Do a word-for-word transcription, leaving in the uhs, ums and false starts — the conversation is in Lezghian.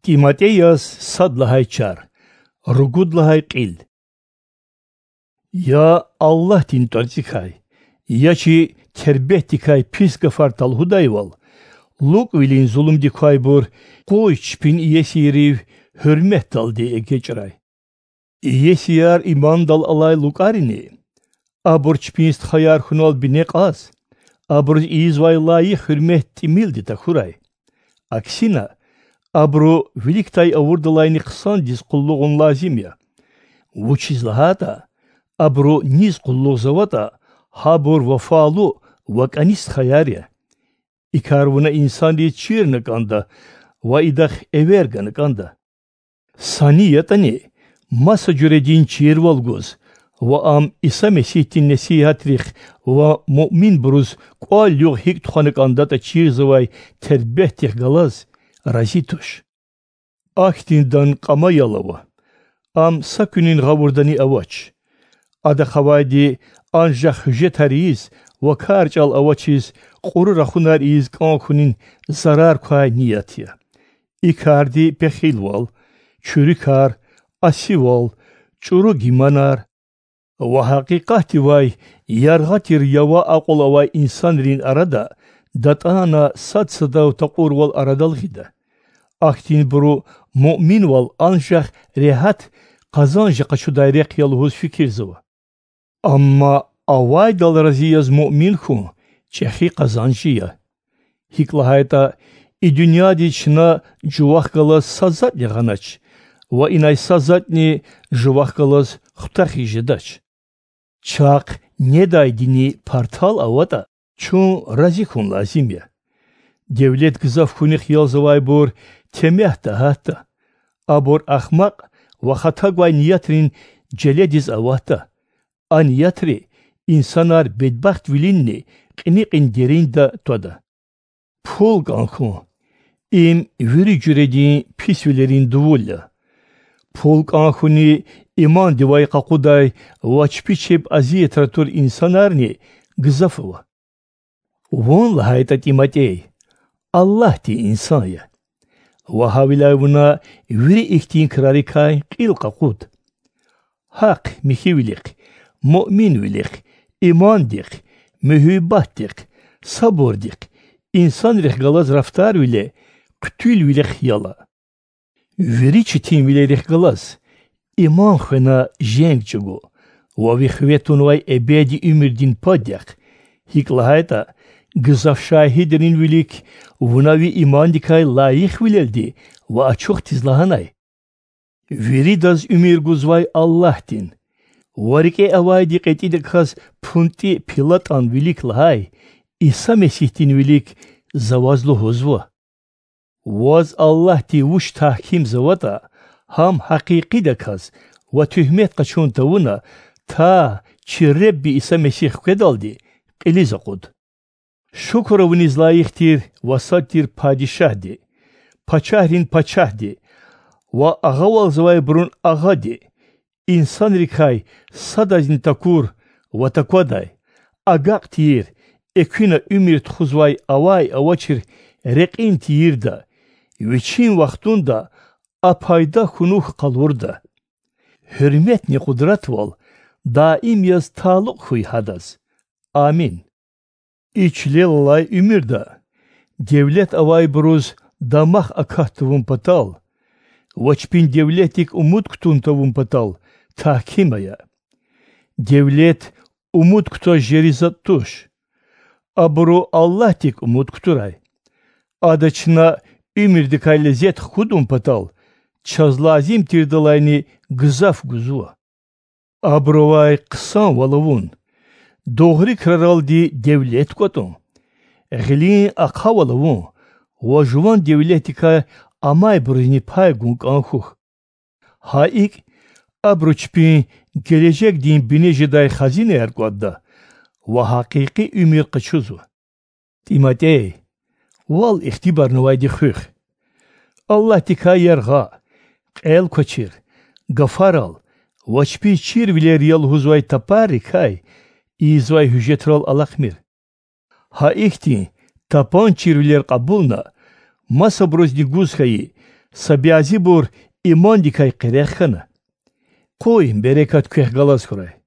ТӀиматӀей яз сад лагьай чар, ругуд лагьай кьил. Я Аллагьдин тӀварцӀикай, я чи тербетдикай пис гафар талгьудайвал, лукӀвилин зулумдик квайбур къуй чпин иесийрив гьуьрметдалди эгечӀрай. Иесияр имандал алай лукӀарини, абур чпин стхаяр хьунал бине кьаз, абуруз ийизвай лайих гьуьрмет тӀимилди тахьурай. Аксина, абуру виликдай авурдалайни хъсандиз къуллугъун лазим я. Вучиз лагьайтӀа абуру низ къуллугъзаватӀа, гьабур вафалу ва кӀани стхаяр я. И кар вуна инсанриз чирна кӀанда ва идахъ эвер гана кӀанда. Са ни ятӀани, маса жуьредин чирвал гуз ва ам Иса Месигьдин несигьатрихъ ва муъминбуруз кӀвал-югъ гьикӀ тухвана кӀандатӀа чирзавай тербетдихъ галаз рази туш. Ахьтиндан кьама ял ава. Ам са куьнин гъавурдани авач. Адахъ авайди анжах гьуьжетар ийиз ва кар-чӀал авачиз, кьуру рахунар ийиз кӀан хьунин зарар квай ният я. И карди пехилвал, чуьруькар, асивал, чӀуру гиманар ва гьакъикъатдивай яргъа тир ява акьул авай инсанрин арада датӀана сад-садав такьурвал арадал гъида. Ахьтинбуру муъминвал анжах регьят къазанж къачудай рехъ я лугьуз фикирзава. Амма авайдал рази яз муъмин хьун чӀехи къазанж я. ГьикӀ лагьайтӀа и дуьньядиз чна жувахъ галаз са затӀни гъанач ва инай са затӀни жувахъ галаз хутахиз жедач. Чахъ недайдини партал аватӀа, чун рази хьун лазим я. Девлет гзаф хьунихъ ялзавайбур темягьда гьатда. Абур ахмакь ва хата гвай ниятрин желедиз аватда. А ниятри инсанар бедбахтвилинни кьиникьин деринда твада. Пул кӀан хьун— им вири жуьредин писвилерин дувул я. Пул кӀан хьуни имандивай къакъудай ва чпи чеб азиятра тур инсанарни гзаф ава. Вун, лагьайтӀа, ТӀиматӀей, Аллагьдин инсан я. Ва гьавиляй вуна вири ихьтин крарикай кьил къакъуд. Гьахъ-михьивилихъ, муъминвилихъ, имандихъ, муьгьуьббатдихъ, сабурдихъ, инсанрихъ галаз рафтарвиле хъуьтуьлвилихъ яла. Вири четинвилерихъ галаз иман хвена женг чӀугу ва ви хиве тунвай эбеди уьмуьрдин пад яхъ, гьикӀ лагьайтӀа гзаф шагьидрин вилик вуна ви имандикай лайихвилелди ва ачухдиз лагьанай. Виридаз уьмуьр гузвай Аллагьдин ва рикӀе авайди кьетӀидаказ пунтӀи пилатӀан вилик лагьай Иса Месигьдин вилик За ваз лугьузва: Ваз Аллагьди вуч тагькимзаватӀа, гьам гьакъикъидаказ ва туьгьмет къачун тавуна, та чи Худа Иса Месигь хкведалди кьилиз акъуд. Шукур авуниз лайих тир ва сад тир Падишагьди, пачагьрин Пачагьди ва агъавалзавайбурун Агъади, инсанрикай садазни такур ва таквадай, агакь тийир, экуьна уьмуьр тухузвай авай-авачир рекьин тийирда, Вичин вахтунда а пайда хьунухь къалурда. Гьуьрметни къудратвал даим яз талукь хьуй Гьадаз. Амин. И чилел алай уьмуьрда девлет авайбуруз дамах акат тавун патал ва чпин девлетдик умуд кутун тавун патал тагьким ая. Девлет умуд кутаз жери затӀ туш. Абуру Аллагьдик умуд кутурай. Ада чна уьмуьрдикай лезет хкудун патал чаз лазим тирдалайни гзаф гузва. Абурувай хъсанвал авун, дугъри краралди девлет кӀватӀун, гъилин ахъавал авун ва жуван девлетдикай амайбурузни пай гун кӀан хьухь. Гьа икӀ, абуру чпин гележегдин бине жедай хазинаяр кӀватӀда ва гьакъикъи уьмуьр къачузва. ТӀиматӀей, вал ихтибарнавайди хуьх. Аллагьдикай яргъа, кьел квачир, гафарал ва чпиз чирвилер я лугьузвай тапаррикай ийизвай гьуьжетрал алахъмир. Гьа ихьтин тапан чирвилер кьабулна, масабурузни гуз хьайи Са бязибур имандикай къерех хьана, къуй берекат квехъ галаз хьурай.